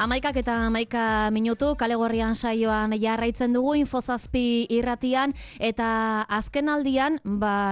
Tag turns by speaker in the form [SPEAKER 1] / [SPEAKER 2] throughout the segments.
[SPEAKER 1] 11:11 kale gorrian saioan jarraitzen dugu Infozazpi irratian eta azken aldian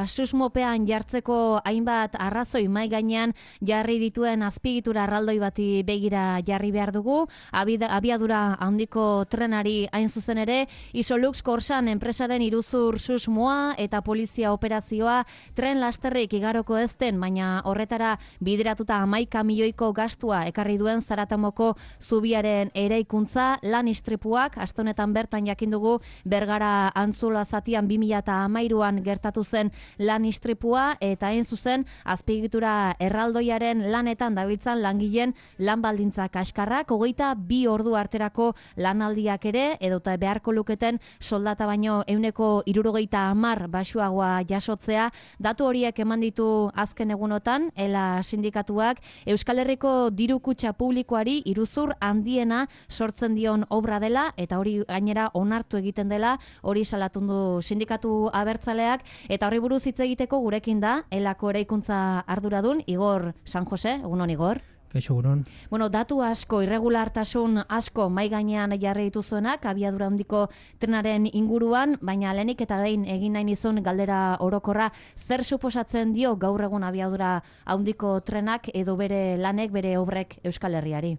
[SPEAKER 1] susmopean jartzeko hainbat arrazoi mahai gainean jarri dituen azpiegitura erraldoi bati begira jarri behar dugu. Abiadura handiko trenari hain zuzen ere, Isolux Korsan enpresaren iruzur susmoa eta polizia operazioa tren lasterrik igaroko ezten, baina horretara bideratuta 11 milioiko gastua ekarri duen Zaratamoko zubiaren eraikuntza, lan istripuak, astonetan bertan jakin dugu Bergara Antzuola zatian 2013an gertatu zen lan istripua eta hain zuzen azpiegitura erraldoiaren lanetan dabiltzan langileen lan baldintza kaskarrak, 22 ordu arterako lanaldiak ere, edota beharko luketen soldata baino 170 baxuagoa jasotzea. Datu horiek eman ditu azken egunotan, ELA sindikatuak Euskal Herriko diru kutxa publikoari iruzur handiena sortzen dion obra dela, eta hori gainera onartu egiten dela, hori salatundu sindikatu abertzaleak, eta horri buruz hitz egiteko gurekin da ELAko eraikuntza arduradun Igor San Jose. Egunon, Igor.
[SPEAKER 2] Kaixo, egunon.
[SPEAKER 1] Bueno, datu asko, irregulartasun asko mahai gainean jarri dituzuenak abiadura handiko trenaren inguruan, baina lehenik eta behin egin nahi nizun galdera orokorra, zer suposatzen dio gaur egun abiadura handiko trenak edo bere lanek, bere obrek Euskal Herriari?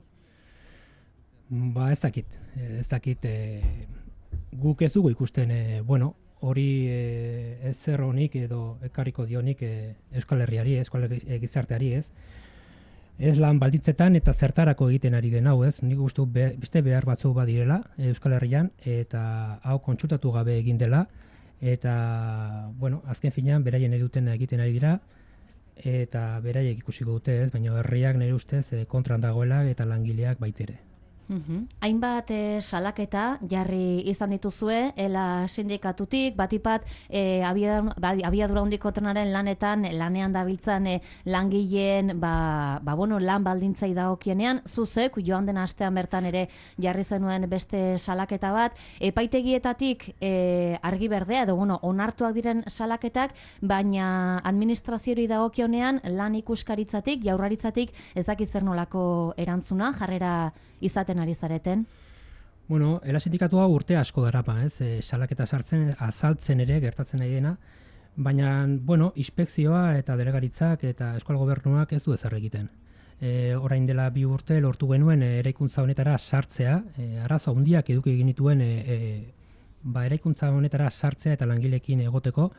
[SPEAKER 2] Ez dakit, guk ez dugu ikusten, hori ez zer honik edo ekarriko dionik Euskal Herriari, Euskal Gizarteari, ez? Ez lan balditzetan eta zertarako egiten ari den hau, ez? Nik uste beste behar batzuk badirela Euskal Herrian, eta hau kontsultatu gabe egin dela, eta, azken finean, beraien eduten egiten ari dira, eta beraiek ikusiko dute, ez? Baina herriak nire ustez kontran dagoela eta langileak baitere.
[SPEAKER 1] Hainbat salaketa jarri izan dituzue ELA sindikatutik, batipat abiadura handiko trenaren lanean dabiltzan langileen lan baldintzai dagokienean, zuzek joan den astean bertan ere jarri zenuen beste salaketa bat, epaitegietatik argi berdea edo onartuak diren salaketak, baina administraziori dagokionean lan ikuskaritzatik, jaurlaritzatik ez dakit zer nolako erantzuna, jarrera izaten ari zareten?
[SPEAKER 2] ELA sindikatua urte asko darapa, ez? Salaketa azaltzen ere gertatzen nahi dena, baina, inspekzioa eta delegaritzak eta Euskal Gobernuak ez du ezer egiten. Orain dela 2 urte lortu genuen eraikuntza honetara sartzea, arazo handiak eduki egin dituen eraikuntza honetara sartzea eta langileekin egoteko,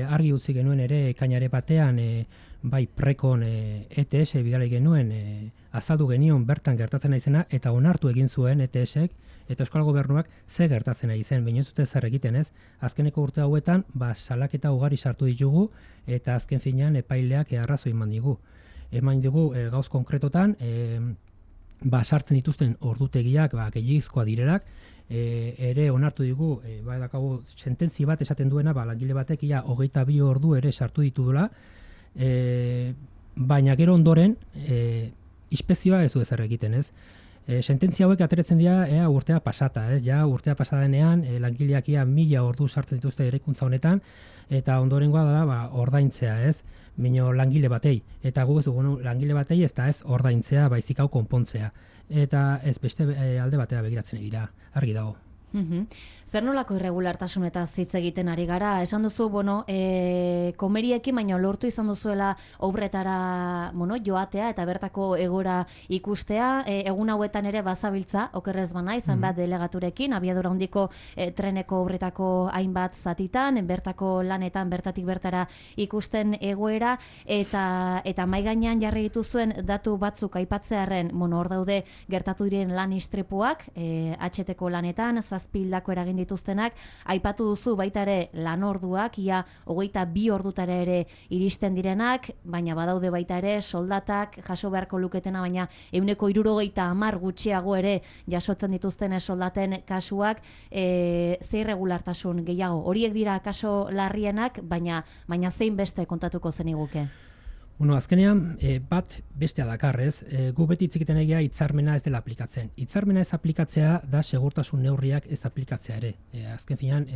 [SPEAKER 2] argi utzi genuen ere ekainare batean bai prekon ETS bidali genuen azaldu genion bertan gertatzen naizena eta onartu egin zuen ETSek eta Euskal Gobernuak ze gertatzen nahi zen, baina ez dute zer egiten, ez? Azkeneko urte hauetan salaketa ugari sartu ditugu eta azken finean epaileak arrazoi eman digu gauz konkretotan, sartzen dituzten ordutegiak gehiagizkoa direnak, ere onartu digu, dakagu sententzi bat esaten duena, langile batek 22 ordu ere sartu ditudula, baina gero ondoren inspekzioa ez du ezer egiten, ez? Sententzia hauek ateratzen dira urtea pasata, ez? Ja urtea pasadenean langileak 1000 ordu sartzen dituzte eraikuntza honetan eta ondorengoa da ordaintzea, ez? Baina langile batei, eta guk ez dugu langile batei ez da ez ordaintzea, baizik hau konpontzea. Eta ez beste alde batera begiratzen dira, argi dago.
[SPEAKER 1] Zer nolako irregulartasun eta hitz egiten ari gara? Esan duzu, komeriekin, baina lortu izan duzuela obretara joatea eta bertako egora ikustea. Egun hauetan ere bazabiltza, okerrez bana, izan bat delegaturekin, abiadura handiko treneko obretako hainbat zatitan, bertako lanetan, bertatik bertara ikusten egoera, eta mahai gainean jarri dituzuen datu batzuk aipatzearren, hor daude gertatu diren lan istripuak, HT-ko lanetan, zazpildako eragin dituztenak, aipatu duzu baita ere lanorduak, 22 ordutara ere iristen direnak, baina badaude baita ere soldatak jaso beharko luketena, baina 170 gutxiago ere jasotzen dituzten soldaten kasuak, ze irregulartasun gehiago. Horiek dira kaso larrienak, baina zein beste kontatuko zeniguke?
[SPEAKER 2] Azkenean, bat bestea dakarrez, gu beti hitz egiten egia hitzarmena ez dela aplikatzen. Hitzarmena ez aplikatzea da segurtasun neurriak ez aplikatzea ere. Azken finean,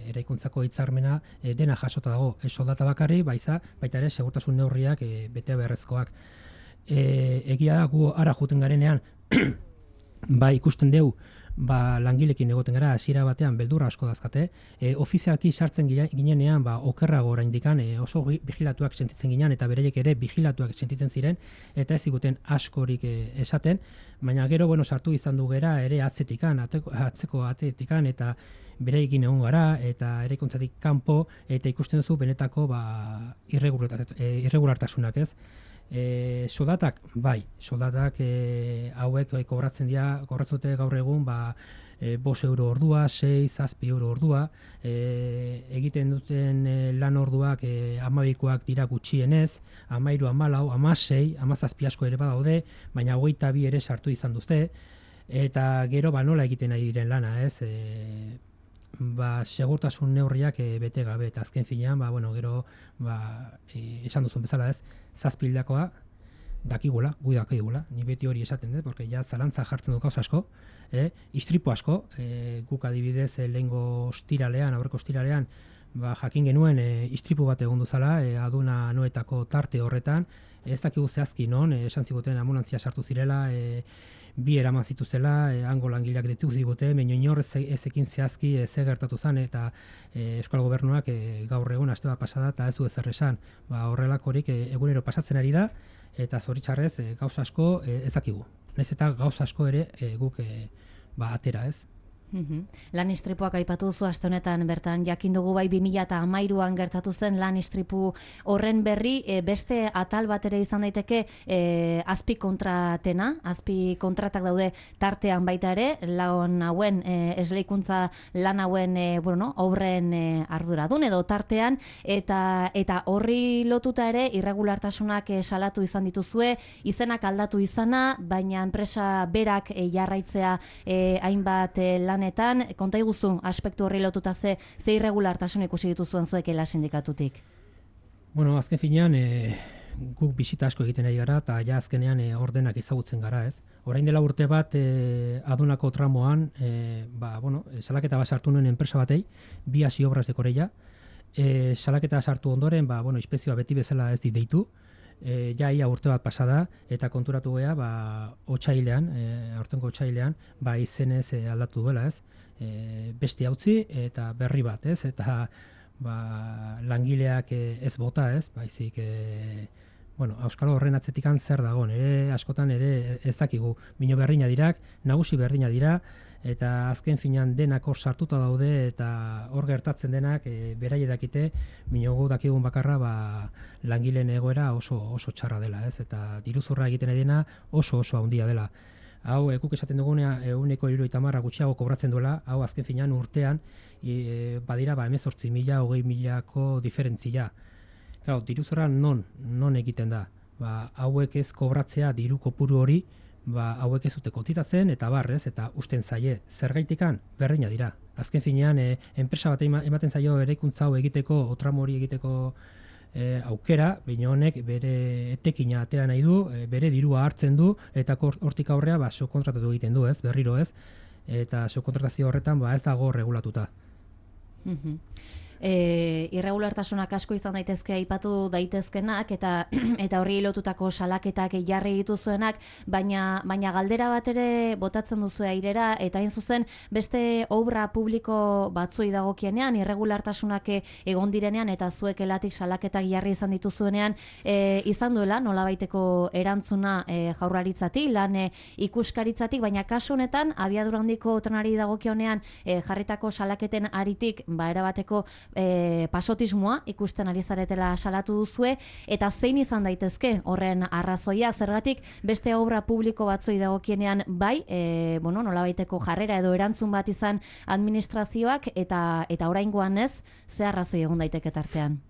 [SPEAKER 2] eraikuntzako hitzarmena dena jasota dago, soldata bakarri, baita ere segurtasun neurriak bete beharrezkoak. Egia da gu ara juten garenean ikusten dugu, langilekin egoten gara, hasiera batean beldurra asko dazkate, ofizialki sartzen ginenean, okerrago oraindikan oso vigilatuak sentitzen ginen, eta bereiek ere vigilatuak sentitzen ziren, eta ez ziguten askorik esaten, baina gero, sartu izan du gera ere atzeko atetikan, eta bereikin egon gara, eta eraikuntzatik kanpo, eta ikusten duzu benetako irregulartasunak, ez? Soldatak, soldatak hauek kobratzen dute gaur egun 5 euro ordua, 6-7 euro ordua, egiten duten lan orduak 12koak dira gutxienez, 13, 14, 16, 17 asko ere badaude, baina 22 ere sartu izan duzte, eta gero nola egiten ari diren lana, ez? Segurtasun neurriak bete gabe, eta azken finean, gero, esan duzun bezala, ez? 7 hildakoa dakigula, ni beti hori esaten dut, porque ja zalantza jartzen dut gauza asko, istripu asko, guk adibidez lehengo aurreko ostiralean, jakin genuen istripu bat egon duzala, aduna noetako tarte horretan, ez dakigu zehazki non, esan ziguten ambulantzia sartu zirela, 2 eraman zituzela, hango langileak ditu zigute, baina inor ezekin zehazki ze gertatu zen, eta Euskal Gobernuak gaur egun aste bat pasada eta ez du ezer esan. Horrelakorik egunero pasatzen ari da, eta zoritxarrez gauza asko ez dakigu. Naiz eta gauza asko ere guk atera, ez?
[SPEAKER 1] Lan istripuak aipatu duzu aste honetan bertan jakin dugu 2013an gertatu zen lan istripu horren berri, beste atal bat ere izan daiteke azpi kontratak daude tartean baita ere, lan hauen esleikuntza lan hauen obren arduradun edo tartean, eta horri lotuta ere irregulartasunak salatu izan dituzue, izenak aldatu izana, baina enpresa berak jarraitzea hainbat lan konta iguzu aspektu horri lotuta ze irregulartasun ikusi dituzuen zuek ELA sindikatutik?
[SPEAKER 2] Azken finean guk bisita asko egiten ari gara eta ja azkenean ordenak ezagutzen gara, ez? Orain dela urte bat adunako tramoan salaketa bat sartu nuen enpresa batei, 2 hasi obras de Koreia, salaketa sartu ondoren, inspekzioa beti bezala ez dit deitu, ia urte bat pasada, eta konturatu gea, aurtengo otsailean, izenez aldatu duela, ez? Beste hautzi eta berri bat, ez? Eta langileak ez bota, ez? Baizik, auskalo horren atzetikan zer dagoen, askotan ere ez dakigu. Mino berdina dirak, nagusi berdina dira, eta azken finan denak hor sartuta daude, eta hor gertatzen denak beraie dakite, minogu dakigun bakarra langileen egoera oso txarra dela, ez? Eta diruzurra egiten edena oso handia dela. Hau, guk esaten dugunea, 170 gutxiago kobratzen duela, hau azken finan urtean, badira 18.000, 20.000ko diferentzia. Claro, diruzurra non egiten da? Hauek ez kobratzea diru kopuru hori, hauek ez dute kotizatzen eta barrez, eta usten zaie, zergaitikan berdina dira. Azken finean, enpresa bat ematen zaio eraikuntza hau egiteko, otramo hori egiteko aukera, baina honek bere etekina atera nahi du, bere dirua hartzen du, eta hortik aurrea subkontratatu egiten du, ez, berriro ez, eta subkontratazio horretan ez dago regulatuta.
[SPEAKER 1] Irregulartasunak asko izan daitezke aipatu daitezkenak eta horri lotutako salaketak jarri dituzuenak, baina galdera bat ere botatzen duzu airera, eta hain zuzen beste obra publiko batzuei dagokienean irregulartasunak egon direnean eta zuek ELAtik salaketak jarri izan dituzuenean izan duela nolabaiteko erantzuna Jaurlaritzatik, lan ikuskaritzatik, baina kasu honetan abiadura handiko trenari dagokionean jarritako salaketen aritik erabateko pasotismoa ikusten ari zaretela salatu duzue, eta zein izan daitezke horren arrazoiak, zergatik beste obra publiko batzoi dagokienean nolabaiteko jarrera edo erantzun bat izan administrazioak, eta oraingoan ez, ze arrazoi egon daiteke tartean?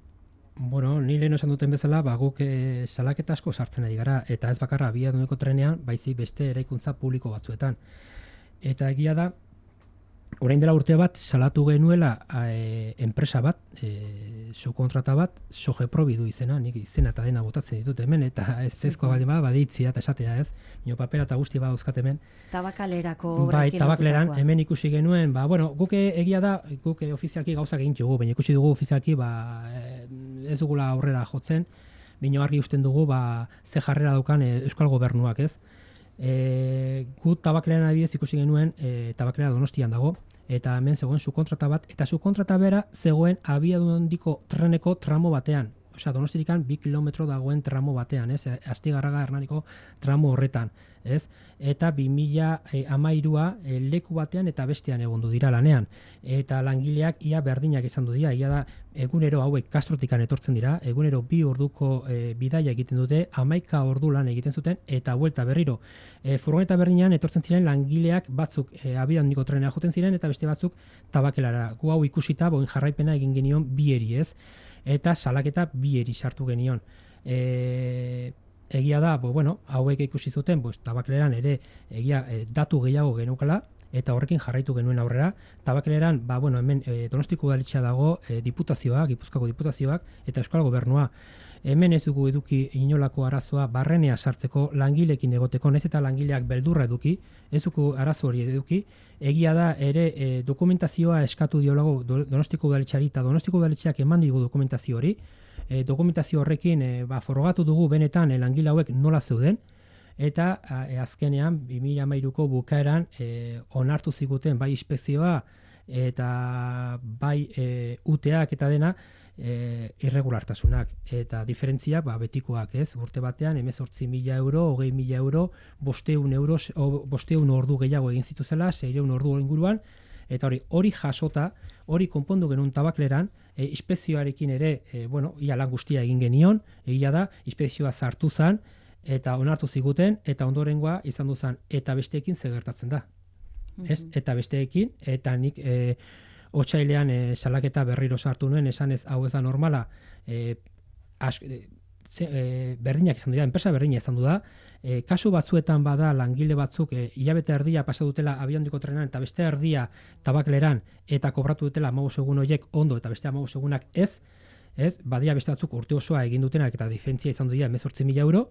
[SPEAKER 2] Ni lehen esan duten bezala, guk salaketa asko sartzen ari gara, eta ez bakarra abiaduneko trenean, baizik beste eraikuntza publiko batzuetan. Eta egia da, orain dela urte bat salatu genuela enpresa bat, subkontrata bat, Sogeprobi du izena, nik izena eta dena botatzen ditut hemen, eta ez ezko baldin baditzia eta esatea, ez? Nio papera eta guzti dauzkat hemen.
[SPEAKER 1] Tabakalerako obrekin
[SPEAKER 2] tabakaleran hemen ikusi genuen, guk egia da, guk ofizialki gauzak egin dugu, baina ikusi dugu ofizialki ez dugula aurrera jotzen, baina argi usten dugu ze jarrera daukan Euskal Gobernuak, ez? Gu tabakleran adibidez ikusi genuen, tabaklera Donostian dago, eta hemen zegoen subkontrata bat, eta subkontrata bera zegoen abiadura handiko treneko tramo batean. Osea, Donostitik 2 kilometro dagoen tramo batean, ez? Astigarraga Hernaniko tramo horretan, ez? Eta 2013a leku batean eta bestean egondu dira lanean. Eta langileak ia berdinak izan du dira, ia da egunero hauek Castrotikan etortzen dira, egunero 2 orduko bidaia egiten dute, 11 ordu lan egiten zuten eta buelta berriro. Furgoneta berdinean etortzen ziren langileak batzuk abiadura handiko trenera joten ziren eta beste batzuk tabakelara. Gu hau ikusita, boin jarraipena egin genion bieri, ez? Eta salaketa bieri sartu genion. Egia da, hauek ikusi zuten, tabakleran ere datu gehiago genukala, eta horrekin jarraitu genuen aurrera. Tabakleran, hemen Donostiko udaletxea dago, diputazioak, Gipuzkoako diputazioak, eta Euskal Gobernua. Hemen ez dugu eduki inolako arazoa barrenea sartzeko, langilekin egoteko, naiz eta langileak beldurra eduki, ez dugu arazo hori eduki. Egia da ere dokumentazioa eskatu diolago Donostiko udaletxeari eta Donostiko udaletxeak eman digu dokumentazio hori. Dokumentazio horrekin forogatu dugu benetan langile hauek nola zeuden, eta azkenean 2013ko bukaeran onartu ziguten bai inspekzioa eta bai UTEak eta dena irregulartasunak eta diferentziak betikoak, ez? Urte batean 18.000 euro, 20.000 euro, 500 ordu gehiago egin zituzela, 600 ordu inguruan, eta hori jasota, hori konpondu genuen tabakleran, inspekzioarekin ere, ia lan guztia egin genion, egia da, inspekzioa sartu zen, eta onartu ziguten, eta ondorengoa izan duzan, eta besteekin zer gertatzen da. Ez? Eta besteekin, eta nik otsailean salaketa berriro sartu nuen, esan ez hau ez da normala, berdinak izan dira, enpresa berdina izan du da, kasu batzuetan bada langile batzuk hilabete erdia pasa dutela abiadura handiko trenean eta beste erdia tabakleran eta kobratu dutela 15 egun horiek ondo eta beste 15 egunak ez, badia beste batzuk urte osoa egin dutenak eta diferentzia izan dira 18.000 euro,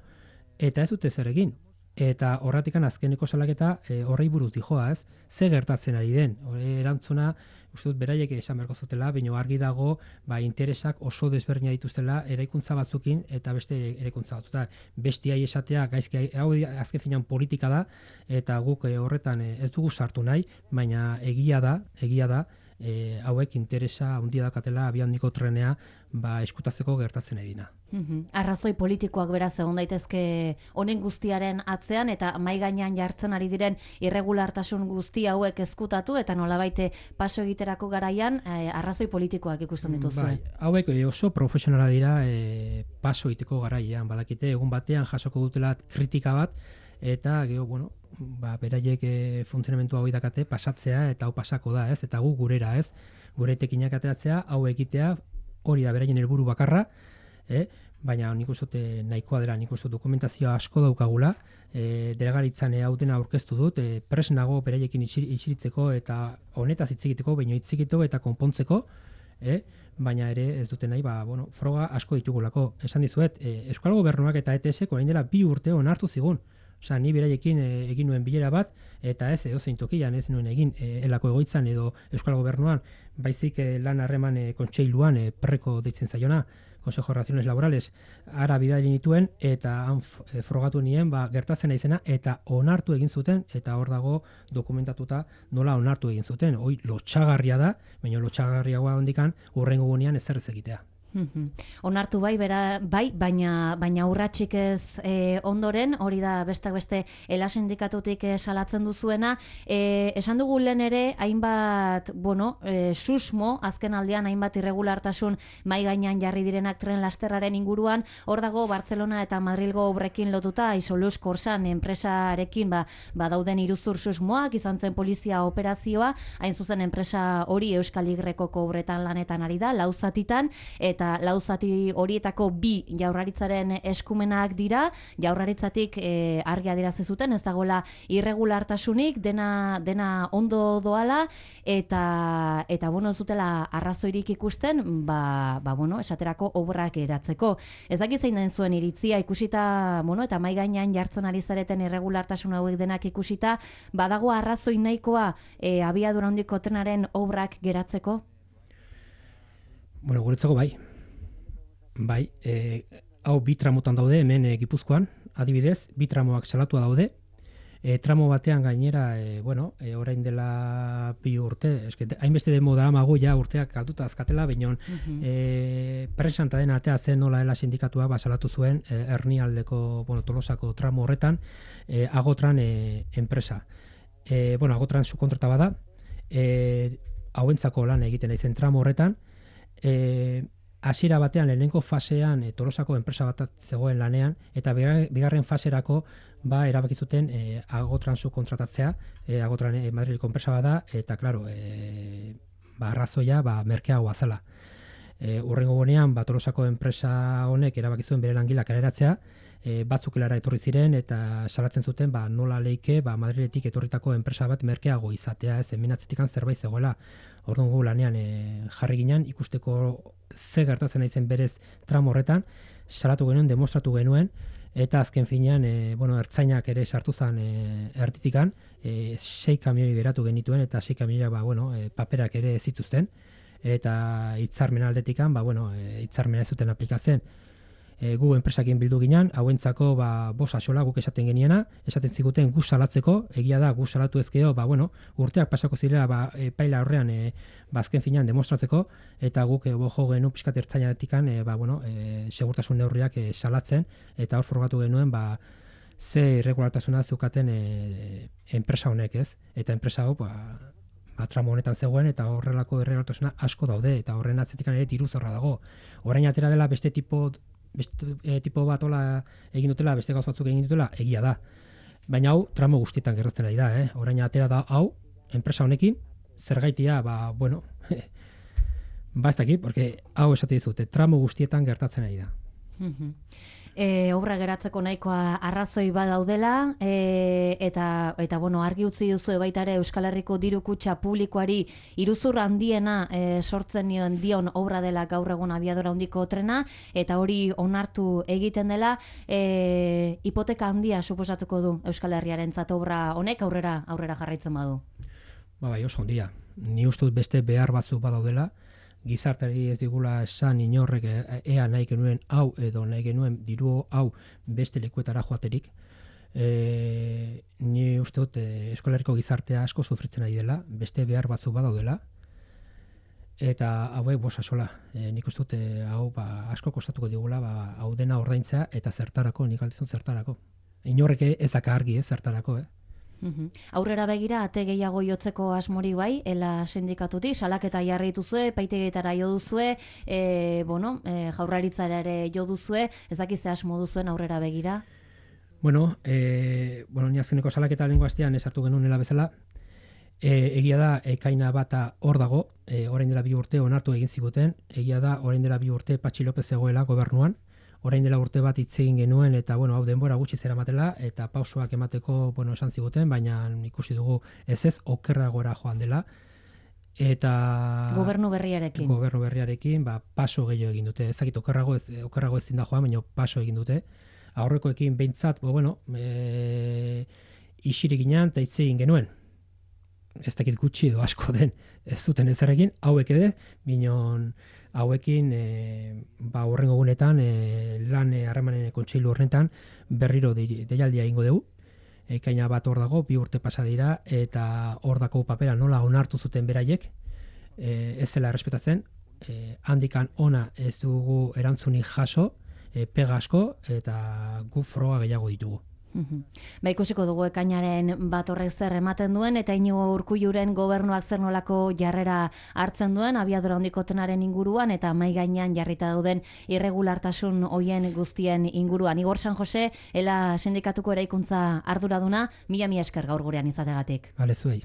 [SPEAKER 2] eta ez dute zer egin. Eta horratikan azkeneko salaketa horrei buruz dijoa, ez? Ze gertatzen ari den? Erantzuna, uste dut beraiek esan beharko zutela, baina argi dago interesak oso desberdina dituztela eraikuntza batzukin eta beste eraikuntza batzuta. Bestiai esatea, gaizki, hau azken finean politika da, eta guk horretan ez dugu sartu nahi, baina egia da, hauek interesa handia dakatela abiadura handiko trenea eskutatzeko gertatzen edina.
[SPEAKER 1] Arrazoi politikoak beraz egon daitezke honen guztiaren atzean eta mahai gainean jartzen ari diren irregulartasun guzti hauek ezkutatu eta nolabait paso egiterako garaian arrazoi politikoak ikusten dituzue.
[SPEAKER 2] Bai, hauek oso profesionala dira paso egiteko garaian, badakite egun batean jasoko dutela kritika bat eta gero, beraiek funtzionamendu hau dakate pasatzea eta hau pasako da, ez? Eta gu gurera, ez? Gure etekinak ateratzea, hau egitea, hori da beraien helburu bakarra, baina nik uste dut nahikoa dela, nik uste dut dokumentazioa asko daukagula, delegaritzan hau dena aurkeztu dut, pres nago beraiekin isiritzeko eta honetaz hitz egiteko, baina hitz egiteko eta konpontzeko, baina ere ez dute nahi, froga asko ditugulako. Esan dizuet, Euskal Gobernuak eta ETSek orain dela 2 urte onartu zigun. Osea, ni beraiekin egin nuen bilera bat, eta ez edozein tokian ez nuen egin elako egoitzan edo Euskal Gobernuan, baizik lan harreman kontseiluan preko deitzen zaiona, Consejo de Relaciones Laborales, ara bidali nituen, eta han frogatu nien, gertatzen naizena, eta onartu egin zuten, eta hor dago dokumentatuta nola onartu egin zuten. Hoi lotxagarria da, baina lotxagarriagoa hondikan hurrengo gunean ezer ez egitea.
[SPEAKER 1] Onartu baina urratsik ez ondoren, hori da besteak beste ELA sindikatutik salatzen duzuena. Esan dugu lehen ere, hainbat, susmo, azken aldean hainbat irregulartasun mai gainean jarri direnak tren lasterraren inguruan, hor dago Barcelona eta Madrilgo obrekin lotuta, Isoluz Korsan enpresarekin dauden iruzur susmoak, izan zen polizia operazioa, hain zuzen enpresa hori Euskal Y-ko obretan lanetan ari da, 4 zatitan, eta 4 zati horietako 2 Jaurlaritzaren eskumenak dira, Jaurlaritzatik argi adierazi zuten, ez dagoela irregulartasunik, dena ondo doala, eta ez dutela arrazoirik ikusten, esaterako obrak eratzeko. Ez dakit zein den zuen iritzia, ikusita, eta mahai gainean jartzen ari zareten irregulartasun hauek denak ikusita, badago arrazoi nahikoa abiadura handiko trenaren obrak geratzeko?
[SPEAKER 2] Guretzako bai. Hau 2 tramotan daude, hemen Gipuzkoan, adibidez, 2 tramoak salatua daude, tramo batean gainera, orain dela 2 urte, hainbeste demo daramagu ja urteak galduta azkatela, baina presanta den atea zen nola dela sindikatua salatu zuen Ernialdeko, Tolosako tramo horretan, Agotran enpresa. Agotran subkontrata bada, hauentzako lan egiten aizen tramo horretan, hasiera batean lehenengo fasean Tolosako enpresa bat zegoen lanean, eta bigarren faserako erabaki zuten Agotran subkontratatzea, Agotran Madrileko enpresa bada, eta claro, arrazoia merkeagoa zela. Hurrengo gunean, Tolosako enpresa honek erabaki zuen bere langilak kaleratzea, batzuk helara etorri ziren eta salatzen zuten nola leike Madriletik etorritako enpresa bat merkeago izatea, ez hemenatzetikan zerbait zegoela. Orduan gu lanean jarri ginen ikusteko ze gertatzen aizen berez tramo horretan, salatu genuen, demostratu genuen, eta azken finean ertzainak ere sartu zen ertitikan, 6 kamioi beratu genituen eta 6 kamioiak paperak ere ez zituzten, eta hitzarmen aldetikan hitzarmena ez zuten aplikatzen. Gu enpresakin bildu ginen, hauentzako 5 axola guk esaten geniena, esaten ziguten gu salatzeko, egia da gu salatu ezkeo, urteak pasako zirela epaila horrean azken finean demostratzeko, eta guk jo genuen pixkat ertzainatikan segurtasun neurriak salatzen, eta hor frogatu genuen ze irregulartasuna zeukaten enpresa honek, ez? Eta enpresa hau tramo honetan zegoen, eta horrelako irregulartasuna asko daude, eta horren atzetikan ere diru zorra dago. Orain atera dela beste tipo bat hola egin dutela, beste gauz batzuk egin dutela, egia da. Baina hau tramo guztietan gertatzen ari da, Orain atera da hau, enpresa honekin, zergaitia, ez dakit, porque hau esate dizute, tramo guztietan gertatzen ari da.
[SPEAKER 1] Obra geratzeko nahikoa arrazoi badaudela, eta argi utzi duzu baita ere Euskal Herriko diru kutxa publikoari iruzur handiena sortzen dion obra dela gaur egun abiadura handiko trena, eta hori onartu egiten dela, hipoteka handia suposatuko du Euskal Herriarentzat obra honek aurrera jarraitzen badu.
[SPEAKER 2] Bai, oso handia. Ni uste dut beste behar batzuk badaudela, gizarteari ez digula esan inorrek ea nahi genuen hau edo nahi genuen diru hau beste lekuetara joaterik. Ni uste dut Euskal Herriko gizartea asko sufritzen ari dela, beste behar batzuk badaudela, eta hauek 5 axola. Nik uste dut hau asko kostatuko digula hau dena ordaintzea eta zertarako, nik aldizun zertarako. Inorrek ez daka argi zertarako,
[SPEAKER 1] Aurrera begira, ate gehiago jotzeko asmori bai, ela sindikatutik, salaketa jarri dituzue, epaitegietara jo duzue, jaurlaritzara ere jo duzue, ez dakiz ze asmo duzuen aurrera begira?
[SPEAKER 2] Ni azkeneko salaketa lehengo astean esartu genuela bezala, egia da ekaina bata hor dago, orain dela 2 urte onartu egin ziguten, egia da orain dela 2 urte Patxi López zegoela gobernuan, orain dela urte bat hitz egin genuen, eta hau denbora gutxi zeramatela, eta pausoak emateko esan ziguten, baina ikusi dugu ez okerragora joan dela, eta
[SPEAKER 1] gobernu berriarekin
[SPEAKER 2] paso gehiago egin dute. Ez dakit okerrago ezin da joan, baina paso egin dute. Aurrekoekin behintzat, isirik ginen eta hitz egin genuen. Ez dakit gutxi edo asko den, ez zuten ezerekin, hauek ere, minon hauekin hurrengo gunetan lan harremanen kontseilu horretan berriro deialdia egingo dugu. Ekaina bat hor dago, 2 urte pasa dira, eta hor dako papera nola onartu zuten beraiek, ez zela errespetatzen, handikan ona ez dugu erantzunik jaso, pega asko, eta gu froga gehiago ditugu.
[SPEAKER 1] Ikusiko dugu ekainaren bat horrek zer ematen duen, eta Iñigo Urkulluren gobernuak zer nolako jarrera hartzen duen abiadura handiko trenaren inguruan, eta mahai gainean jarrita dauden irregulartasun hoien guztien inguruan. Igor San Jose, ela sindikatuko eraikuntza arduraduna, mila esker gaur gurean izategatik.
[SPEAKER 2] Bale, zuei.